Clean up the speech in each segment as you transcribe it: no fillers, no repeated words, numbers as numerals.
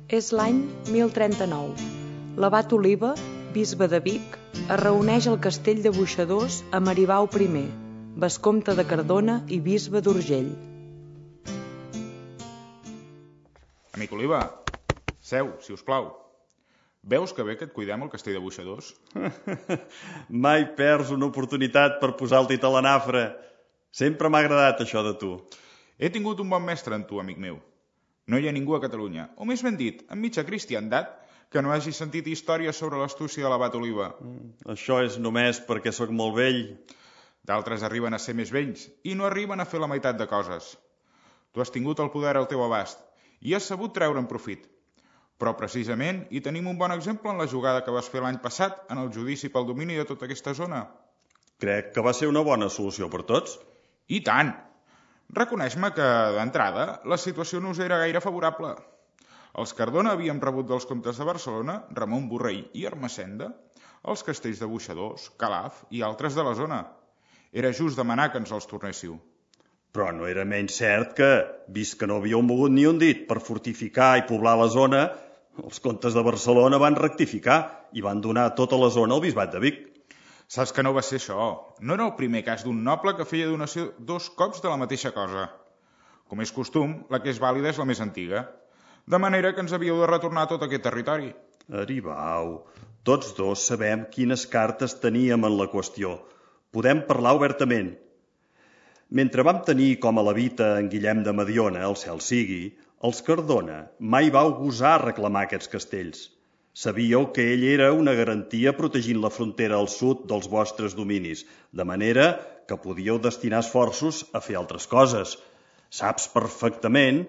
És l'any 1039. L'abat Oliba, bisbe de Vic, es reuneix al castell de Boixadors amb Aribau I, vescomte de Cardona i bisbe d'Urgell. Amic Oliba, seu, si us plau. Veus que bé que et cuidem al castell de Boixadors? Mai perds una oportunitat per posar el dit a la nafra. Sempre m'ha agradat això de tu. He tingut un bon mestre en tu, amic meu. No hi ha ningú a Catalunya, o més ben dit, en mitja cristiandat, que no hagi sentit històries sobre l'astúcia de l'abat Oliba. Això és només perquè sóc molt vell. D'altres arriben a ser més vells i no arriben a fer la meitat de coses. Tu has tingut el poder al teu abast i has sabut treure'n profit. Però precisament hi tenim un bon exemple en la jugada que vas fer l'any passat en el judici pel domini de tota aquesta zona. Crec que va ser una bona solució per tots. I tant! Reconeix-me que, d'entrada, la situació no us era gaire favorable. Els Cardona havíem rebut dels comtes de Barcelona, Ramon Borrell i Ermessenda, els castells de Boixadors, Calaf i altres de la zona. Era just demanar que ens els tornéssiu. Però no era menys cert que, vist que no havíeu mogut ni un dit per fortificar i poblar la zona, els comtes de Barcelona van rectificar i van donar tota la zona al bisbat de Vic. Saps que no va ser això. No era el primer cas d'un noble que feia donació 2 cops de la mateixa cosa. Com és costum, la que és vàlida és la més antiga. De manera que ens havíeu de retornar tot aquest territori. Aribau, tots dos sabem quines cartes teníem en la qüestió. Podem parlar obertament. Mentre vam tenir com a levita en Guillem de Mediona, el cel sigui, els Cardona mai vau gosar reclamar aquests castells. Sabíeu que ell era una garantia protegint la frontera al sud dels vostres dominis, de manera que podíeu destinar esforços a fer altres coses. Saps perfectament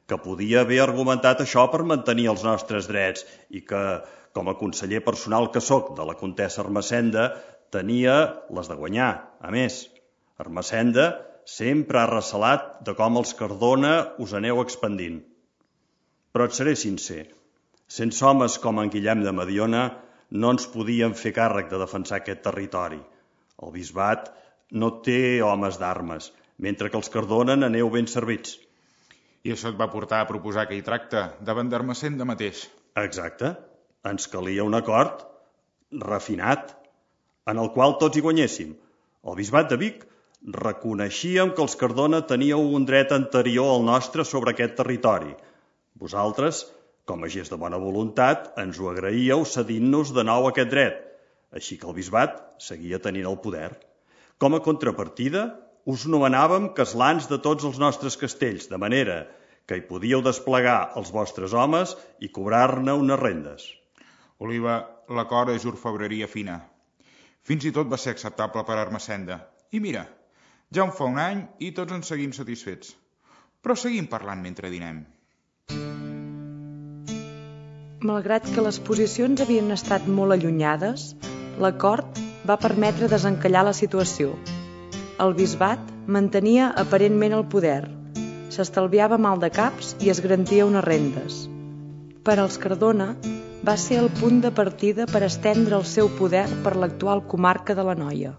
que podia haver argumentat això per mantenir els nostres drets i que, com a conseller personal que sóc de la comtessa Ermessenda, tenia les de guanyar. A més, Ermessenda sempre ha recelat de com els Cardona us aneu expandint. Però et seré sincer. Sense homes com en Guillem de Mediona no ens podíem fer càrrec de defensar aquest territori. El bisbat no té homes d'armes, mentre que els Cardona n'aneu ben servits. I això et va portar a proposar aquell tracte davant d'Ermessenda mateix. Exacte. Ens calia un acord refinat, en el qual tots hi guanyéssim. El bisbat de Vic reconeixíem que els Cardona teníeu un dret anterior al nostre sobre aquest territori. Vosaltres, com a gest de bona voluntat, ens ho agraíeu cedint-nos de nou aquest dret, així que el bisbat seguia tenint el poder. Com a contrapartida, us nomenàvem caslans de tots els nostres castells, de manera que hi podíeu desplegar els vostres homes i cobrar-ne unes rendes. Oliva, l'acord és orfebreria fina. Fins i tot va ser acceptable per Ermessenda. I mira, ja en fa un any i tots ens seguim satisfets. Però seguim parlant mentre dinem. Malgrat que les posicions havien estat molt allunyades, l'acord va permetre desencallar la situació. El bisbat mantenia aparentment el poder, s'estalviava mal de caps i es garantia unes rendes. Per als Cardona va ser el punt de partida per estendre el seu poder per l'actual comarca de l'Anoia.